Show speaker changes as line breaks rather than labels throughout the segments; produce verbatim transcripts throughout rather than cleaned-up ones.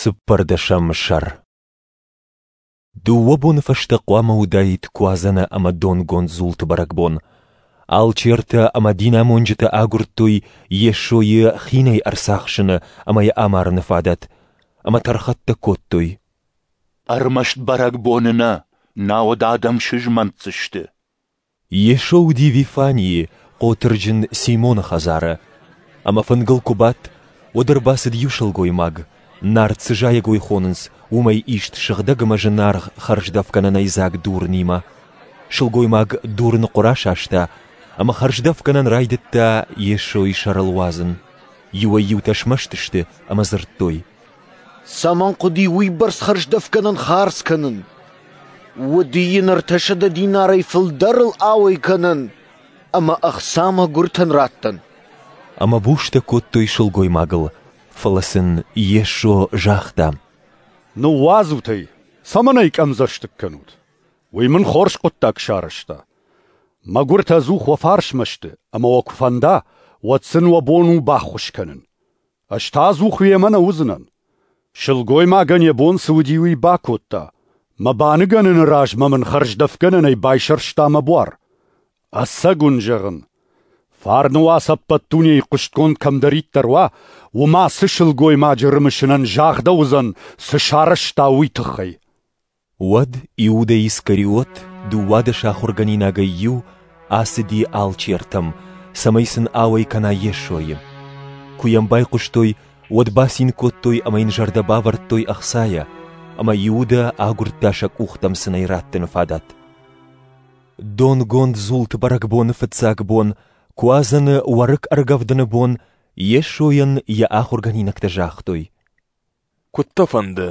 Цыппӕрдӕсӕм сӕр. Дыууӕ боны фӕстӕ хъуамӕ уыдаид Куадзӕны ӕмӕ донгонд дзулты бӕрӕгбон. Алчертӕ ӕмӕ динамонджытӕ агуырдтой Йесойы хинӕй ӕрцахсыны ӕмӕ йӕ амарыны фадат, ӕмӕ тӕрхӕттӕ кодтой.
Ӕрмӕст бӕрӕгбоны нӕ, науӕд адӕм сызмӕнтдзысты.
Йесо уыди Вифанийы, хъотырджын Симоны хӕдзары. Ӕмӕ фынгыл куы бадт, уӕд ӕрбацыд иу сылгоймаг, нард цы зайӕгой хонынц, уымӕй ист сыгъдӕг ӕмӕ зынаргъ хӕрздӕфгӕнӕнӕй дзаг дурынимӕ. Сылгоймаг дурыны хъуыр асаста, ӕмӕ хӕрздӕфгӕнӕн райдыдта Йесойы сӕрыл уадзын. Иуӕй-иутӕ смӕсты сты ӕмӕ дзырдтой:
Цӕмӕн хъуыди уыйбӕрц хӕрздӕфгӕнӕн хардз кӕнын? Уыди йын ӕртӕсӕдӕ динарӕй фылдӕрыл ауӕй кӕнӕн ӕмӕ ӕхца мӕгуыртӕн раттӕн.
Ӕмӕ бустӕ кодтой сылгоймагыл, фӕлӕ сын Йесо загъта:
Ныууадзут ӕй, цӕмӕн ӕй къӕмдзӕстыг кӕнут? Уый мын хорз хъуыддаг сарӕзта. Мӕгуыртӕ ӕдзух уӕ фарсмӕ сты, ӕмӕ уӕ куы фӕнда, уӕд сын уӕ бон у баххуыс кӕнын. Ӕз та ӕдзух уемӕ нӕ уыдзынӕн. Сылгоймагӕн йӕ бон цы уыди, уый бакодта. Мӕ баныгӕныны размӕ мын хӕрздӕфгӕнӕнӕй байсӕрста мӕ буар. Ӕцӕг уын зӕгъын, фарны уац ӕппӕт дунейы хъуыстгонд кӕмдӕриддӕр уа, уым ацы сылгоймаджы рымысынӕн загъдӕуыдзӕн, цы сарӕзта, уый тыххӕй.
Уӕд Иудӕ Искариот, дыууадӕс ахуыргӕнинагӕй иу, ацыди алчертӕм, цӕмӕй сын ауӕй кӕна Йесойы. Куы йӕм байхъуыстой, уӕд бацин кодтой ӕмӕ йын зӕрдӕ бавӕрдтой ӕхцайӕ, ӕмӕ Иудӕ агуырдта сӕ къухтӕм сын ӕй раттыны фадат. Донгонд дзулты бӕрӕгбоны фыццаг бон, Куадзӕны уӕрыкк ӕргӕвдыны бон, Йесойӕн йӕ ахуыргӕнинӕгтӕ загътой:
Куыд дӕ фӕнды,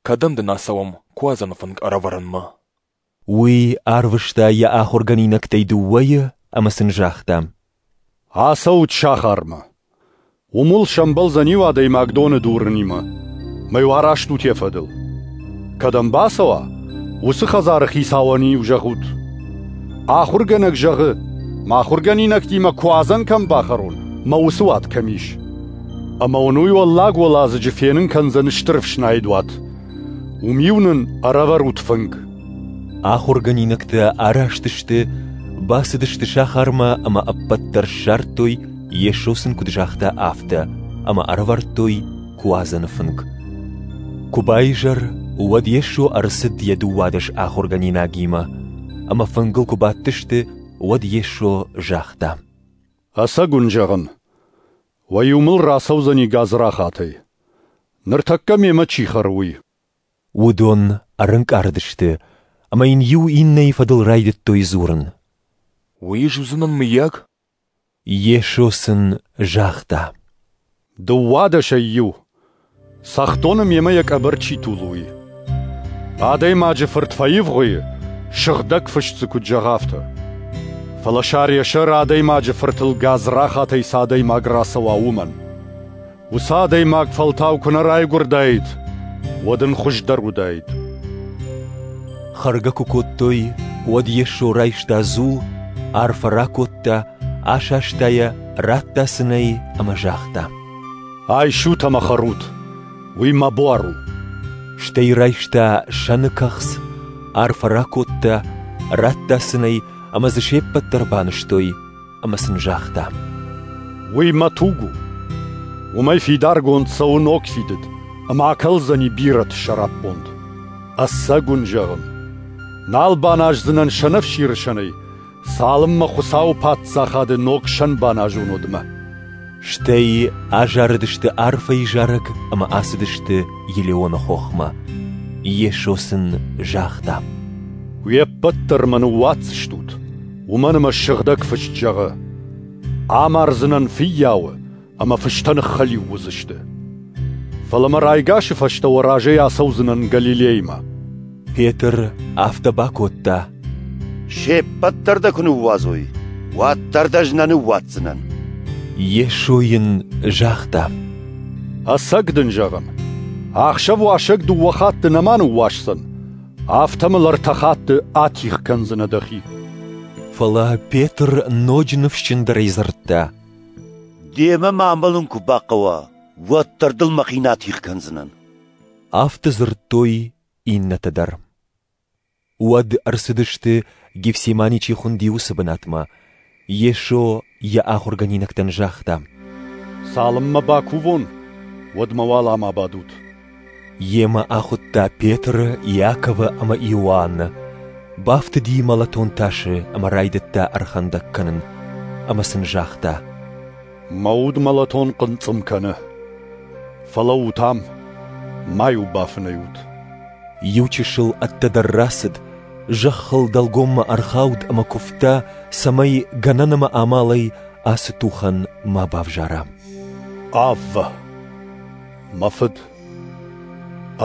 кӕдӕм дын ацӕуӕм Куадзӕны фынг ӕрӕвӕрынмӕ?
Уый арвыста йӕ ахуыргӕнинӕгтӕй дыууӕйы ӕмӕ сын загъта:
Ацӕут сахармӕ. Уым уыл сӕмбӕлдзӕн иу адӕймаг доны дурынимӕ. Мӕ-иу араст ут йӕ фӕдыл. Кӕдӕм бацӕуа, уыцы хӕдзары хицауӕн-иу зӕгъут: Ахуыргӕнӕг зӕгъы, мӕ ахуыргӕнинӕгтимӕ Куадзӕн кӕм бахӕрон, мӕ уыцы уат кӕм ис. Ӕмӕ уын уый уӕллаг уӕладзыджы фенын кӕндзӕн стыр ӕфснайд уат. Уым-иу нын ӕрӕвӕрут фынг.
Ахуыргӕнинӕгтӕ араст сты, бацыдысты сахармӕ ӕмӕ ӕппӕт дӕр ссардтой, Йесо сын куыд загъта, афтӕ, ӕмӕ ӕрӕвӕрдтой Куадзӕны фынг. Куы баизӕр, уӕд Йесо ӕрцыд йӕ дыууадӕс ахуыргӕнинагимӕ, ӕмӕ фынгыл куы бадтысты, уӕд Йесо загъта:
Ӕцӕг уын зӕгъын, уӕ иу мыл рацӕудзӕни гадзрахатӕй. Ныртӕккӕ мемӕ чи хӕры, уый.
Уыдон ӕрӕнкъард сты, ӕмӕ йын иу иннӕйы фӕдыл райдыдтой дзурын:
Уый ӕз уыдзынӕн, мыййаг?
Йесо сын загъта:
Дыууадӕсӕй иу, цӕхдоны мемӕ йӕ къӕбӕр чи тулы, уый. Адӕймаджы фырт фӕивгъуыйы, сыгъдӕг фыст дзы куыд зӕгъы, афтӕ. Фӕлӕ сӕр йӕ сӕр адӕймаджы фыртыл гадзрахатӕй цы адӕймаг рацӕуа, уымӕн. Уыцы адӕймаг фӕлтау куы нӕ райгуырдаид, уӕд ын хуыздӕр уыдаид.
Хӕргӕ куы кодтой, уӕд Йесо райста дзул, арфӕ ракодта, асаста йӕ, радта сын ӕй ӕмӕ загъта:
Айсут ӕмӕ хӕрут, уый мӕ буар у.
Стӕй райста сӕны кӕхц, арфӕ ракодта, радта сын ӕй, ӕмӕ дзы се ппӕт дӕр банызтой, ӕмӕ сын загъта:
Уый мӕ туг у. Уымӕй фидаргонд цӕуы ног фидыд, ӕмӕ акӕлдзӕни бирӕты сӕраппонд. Ӕцӕг уын зӕгъын, нал баназдзынӕн сӕнӕфсиры сӕнӕй, цалынмӕ Хуыцауы паддзахады ног сӕн баназон, уӕдмӕ.
Стӕй азарыдысты арфӕйы зарӕг ӕмӕ ацыдысты Елеоны хохмӕ. Йесо сын загъта:
Уе ппӕт дӕр мӕ ныууадздзыстут, уымӕн ӕмӕ сыгъдӕг фыст зӕгъы: Амардзынӕн фыййауы, ӕмӕ фыстӕ ныххӕлиу уыдзысты. Фӕлӕ мӕ райгасы фӕстӕ уӕ разӕй ацӕудзынӕн Галилеймӕ.
Петр афтӕ бакодта:
Се ппӕт дӕр дӕ куы ныууадзой, уӕддӕр дӕ ӕз нӕ ныууадздзынӕн.
Йесо йын загъта:
Ӕцӕг дын зӕгъын, ахсӕв уасӕг дыууӕ хатты нӕма ныууасдзӕн, афтӕ мыл ӕртӕ хатты атигъ кӕндзынӕ дӕхи.
Фӕлӕ Петр ноджы ныфсджындӕрӕй дзырдта:
Демӕ ма амӕлын куы бахъӕуа, уӕддӕр дыл мӕхи нӕ атигъ кӕндзынӕн.
Афтӕ дзырдтой иннӕтӕ дӕр. Уӕд ӕрцыдысты, Гефсимани чи хуынди, уыцы бынатмӕ. Йесо йӕ ахуыргӕнинӕгтӕн загъта:
«Цалынмӕ бакувон, уӕдмӕ уал ам абадут».
Йемӕ ахуыдта Петры, Иаковы ӕмӕ Иоанны. Бафтыди мӕлӕтон тасы ӕмӕ райдыдта ӕрхӕндӕг кӕнын. Ӕмӕ сын загъта:
«Мӕ уд мӕлӕтон хъынцъым кӕны. Фӕлӕуут ам, ма-иу бафынӕй ут».
Иу чысыл ӕддӕдӕр рацыд, зӕххыл дӕлгоммӕ ӕрхауд ӕмӕ куывта, цӕмӕй гӕнӕн ӕмӕ амалӕй ацы тухӕн ма бавзара.
Аввӕ, мӕ Фыд,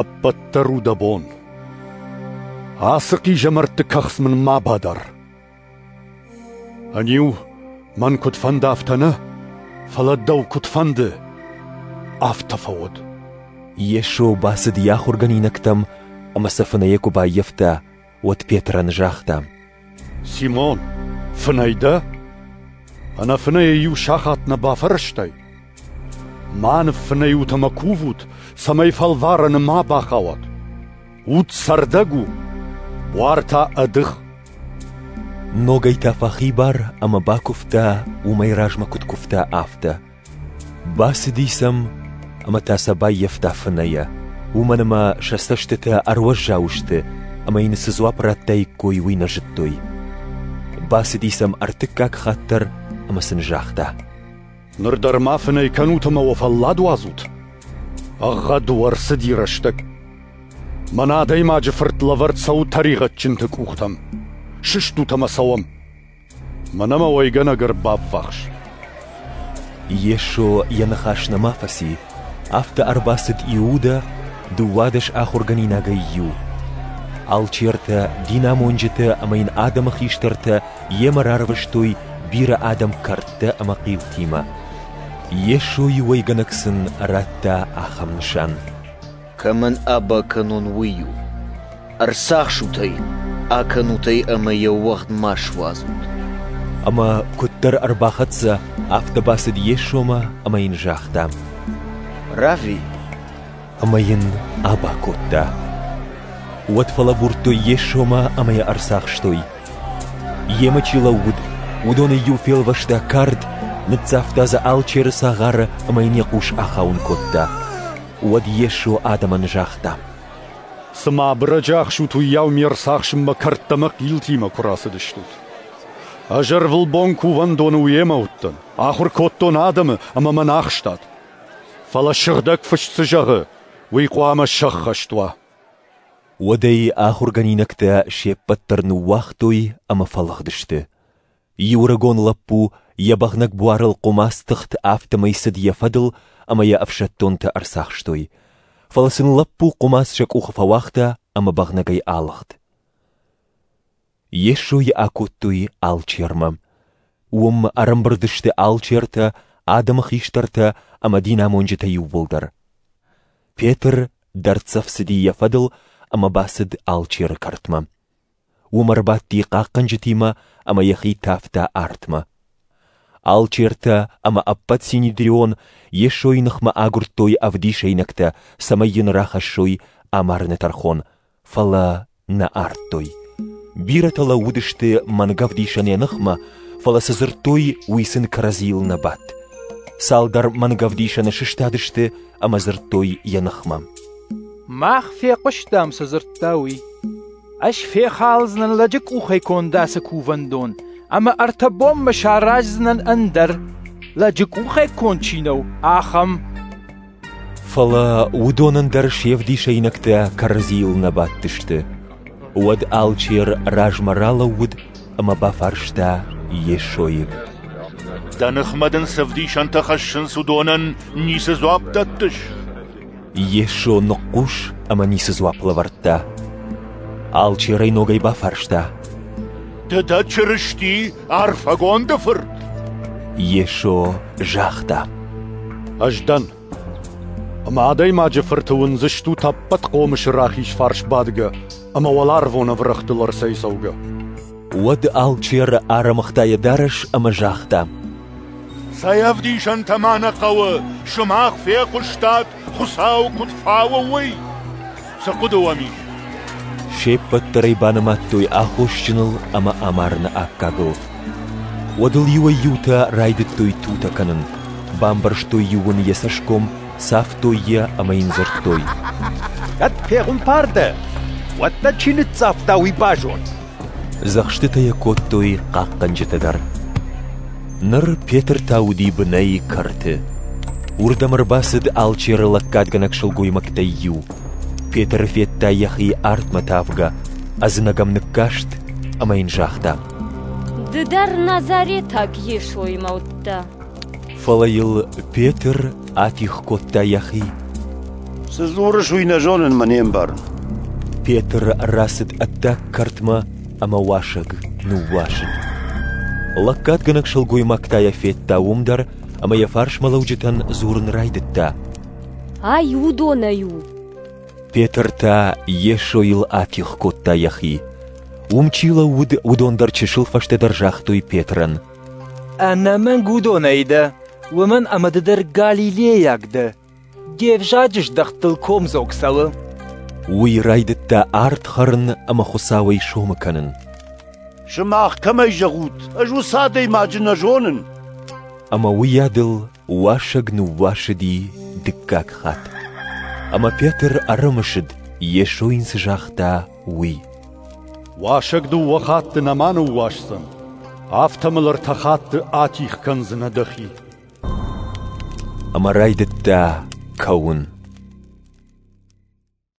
ӕппӕт дӕр у дӕ бон. Ацы хъизӕмӕртты кӕхц мын ма бадар. Ӕниу, мӕн куыд фӕнды, афтӕ нӕ, фӕлӕ дӕу куыд фӕнды, афтӕ фӕуӕд.
Йесо бацыд йӕ ахуыргӕнинӕгтӕм ӕмӕ сӕ фынӕйӕ куы баййӕфта, уӕд Петрӕн загъта:
«Симон, фынӕй дӕ? Ӕнӕфынӕйӕ иу сахат нӕ бафӕрӕзтай? Ма ныффынӕй ут ӕмӕ кувут, цӕмӕй фӕлварӕны ма бахауат. Уд цӕрдӕг у, буар та ӕдых».
Ногӕй та фӕхибар ӕмӕ бакуывта, уымӕй размӕ куыд куывта, афтӕ. Бацыди сӕм ӕмӕ та сӕ баййӕфта фынӕйӕ, уымӕн ӕмӕ сӕ цӕстытӕ ӕруӕззау сты, ӕмӕ йын цы дзуапп радтаиккой, уый нӕ зыдтой. Бацыди сӕм ӕртыккаг хатт дӕр ӕмӕ сын загъта:
«Ныр дӕр ма фынӕй кӕнут ӕмӕ уӕ фӕллад уадзут? Ӕгъгъӕд у, ӕрцыди рӕстӕг. Мӕн Адӕймаджы Фырт лӕвӕрд цӕуы тӕригъӕдджынты къухтӕм. Сыстут ӕмӕ цӕуӕм. Мӕнӕ мӕ уӕйгӕнӕг ӕрбаввахс».
Йесо йӕ ныхас нӕма фӕци, афтӕ ӕрбацыд Иудӕ, дыууадӕс ахуыргӕнинагӕй иу. Алчертӕ, динамонджытӕ ӕмӕ йын адӕмы хистӕртӕ йемӕ рарвыстой бирӕ адӕм кӕрдтӕ ӕмӕ хъилтимӕ. Йесойы уӕйгӕнӕг сын радта ахӕм нысан:
«Кӕмӕн аба кӕнон, уый у. Ӕрцахсут ӕй, акӕнут ӕй ӕмӕ йӕ уӕгъд ма суадзут».
Ӕмӕ куыддӕр ӕрбахӕццӕ, афтӕ бацыд Йесомӕ ӕмӕ йын загъта:
«Равви!»
Ӕмӕ йын аба кодта. Уӕд фӕлӕбурдтой Йесомӕ ӕмӕ йӕ ӕрцахстой. Йемӕ чи лӕууыд, уыдонӕй иу фелвӕста кард, ныццавта дзы алчеры цагъары ӕмӕ йын йӕ хъус ахауын кодта. Уӕд Йесо адӕмӕн загъта:
«Цыма абырӕджы ахсут, уыйау ме рцахсынмӕ кӕрдтӕ ӕмӕ хъилтимӕ куы рацыдыстут. Ӕз ӕрвылбон кувӕндоны уемӕ уыдтӕн, ахуыр кодтон адӕмы ӕмӕ мӕн ахстат. Фӕлӕ Сыгъдӕг Фыст цы зӕгъы, уый хъуамӕ сӕххӕст уа».
Уӕд ӕй ахуыргӕнинӕгтӕ се ппӕт дӕр ныууагътой ӕмӕ фӕлыгъдысты. Иу ӕрыгон лӕппу йӕ бӕгънӕг буарыл хъуымац тыхт, афтӕмӕй цыд йӕ фӕдыл ӕмӕ йӕ ӕфсӕддонтӕ ӕрцахстой. Фӕлӕ сын лӕппу хъуымац сӕ къухы фӕуагъта ӕмӕ бӕгънӕгӕй алыгъд. Йесойы акодтой алчермӕ. Уым ӕрӕмбырд сты алчертӕ, адӕмы хистӕртӕ ӕмӕ динамонджытӕ иууылдӕр. Петр дӕрддзӕф цыди йӕ фӕдыл ӕмӕ бацыд алчеры кӕртмӕ. Уым ӕрбадти хъахъхъӕнджытимӕ ӕмӕ йӕхи тавта артмӕ. Алчертӕ ӕмӕ ӕппӕт синедрион Йесойы ныхмӕ агуырдтой ӕвдисӕйнӕгтӕ, цӕмӕй йын рахӕссой амарыны тӕрхон, фӕлӕ нӕ ардтой. Бирӕтӕ лӕууыдысты мӕнгӕвдисӕн йӕ ныхмӕ, фӕлӕ цы дзырдтой, уый сын кӕрӕдзийыл нӕ бадт. Цалдӕр мӕнгӕвдисӕны сыстадысты ӕмӕ дзырдтой йӕ ныхмӕ:
«Мах фехъуыстам, цы дзырдта уый. Ӕз фехалдзынӕн лӕджы къухӕй конд ацы кувӕндон, ӕмӕ ӕртӕ бонмӕ сараздзынӕн ӕндӕр, лӕджы къухӕй конд чи нӕу, ахӕм».
Фӕлӕ уыдонӕн дӕр се вдисӕйнӕгтӕ кӕрӕдзийыл нӕ бадтысты. Уӕд алчер размӕ ралӕууыд ӕмӕ бафарста Йесойы:
«Дӕ ныхмӕ дын цы ӕвдисӕнтӕ хӕссынц, уыдонӕн ницы дзуапп дӕттыс?»
Йесо ныхъхъус ӕмӕ ницы дзуапп лӕвӕрдта. Алчер ӕй ногӕй бафарста:
«Ды дӕ Чырысти, арфӕгонды Фырт?»
Йесо загъта:
«Ӕз дӕн. Ӕмӕ Адӕймаджы Фырты уындзыстут ӕппӕт хъомысы рахиз фарс бадгӕ ӕмӕ уӕларвон ӕврӕгътыл ӕрцӕйцӕугӕ».
Уӕд алчер ӕрӕмыгъта йӕ дарӕс ӕмӕ загъта:
«Цӕй ӕвдисӕнтӕ ма нӕ хъӕуы, сымах фехъуыстат, Хуыцау куыд фауы, уый! Цы хъуыды уӕм ис?
Се ппӕт дӕр ӕй банымадтой аххосджыныл ӕмӕ амарыны аккагыл. Уӕд ыл иуӕй-иутӕ райдыдтой тутӕ кӕнын, бамбӕрзтой-иу ын йӕ цӕсгом, цавтой йӕ ӕмӕ йын дзырдтой:
Кӕд пехуымпар дӕ, уӕд дӕ чи ныццавта, уый базон.
Дзӕхстытӕ йӕ кодтой хъахъхъӕнджытӕ дӕр. Ныр Петр та уыди бынӕй кӕрты. Уырдӕм ӕрбацыд алчеры лӕггадгӕнӕг сылгоймӕгтӕй иу. Петр федта йӕхи артмӕ тавгӕ, ӕдзынӕг ӕм ныккаст ӕмӕ йын загъта:
Ды дӕр Назаретаг Йесоимӕ уыдтӕ.
Фӕлӕ йыл Петр атигъ кодта йӕхи.
Цы дзурыс, уый нӕ зонын мӕ не мбарын.
Петр рацыд ӕддаг кӕртмӕ ӕмӕ уасӕг ныууасыд. Лӕггадгӕнӕг сылгоймаг та йӕ федта уым дӕр ӕмӕ йӕ фарсмӕлӕуджытӕн дзурын райдыдта:
Ай уыдонӕй у.
Петр та Йесойыл атигъ кодта йӕхи. Уым чи лӕууыд, уыдон дӕр чысыл фӕстӕдӕр загътой Петрӕн:
Ӕнӕмӕнг уыдонӕй дӕ, уымӕн ӕмӕ ды дӕр галилейаг дӕ. Де взаджы здӕхтыл комдзог цӕуы.
Уый райдыдта ард хӕрын ӕмӕ Хуыцауӕй сомы кӕнын.
Сымах кӕмӕй зӕгъут, ӕз уыцы адӕймаджы нӕ зонын.
Ӕмӕ уыйадыл уасӕг ныууасыди дыккаг хатт. Ӕмӕ Петр ӕрымысыд, Йесо йын цы загъта, уый:
Уасӕг дыууӕ хатты нӕма ныууасдзӕн, афтӕ мыл ӕртӕ хатты атигъ кӕндзынӕ дӕхи.
Ӕмӕ райдыдта кӕуын.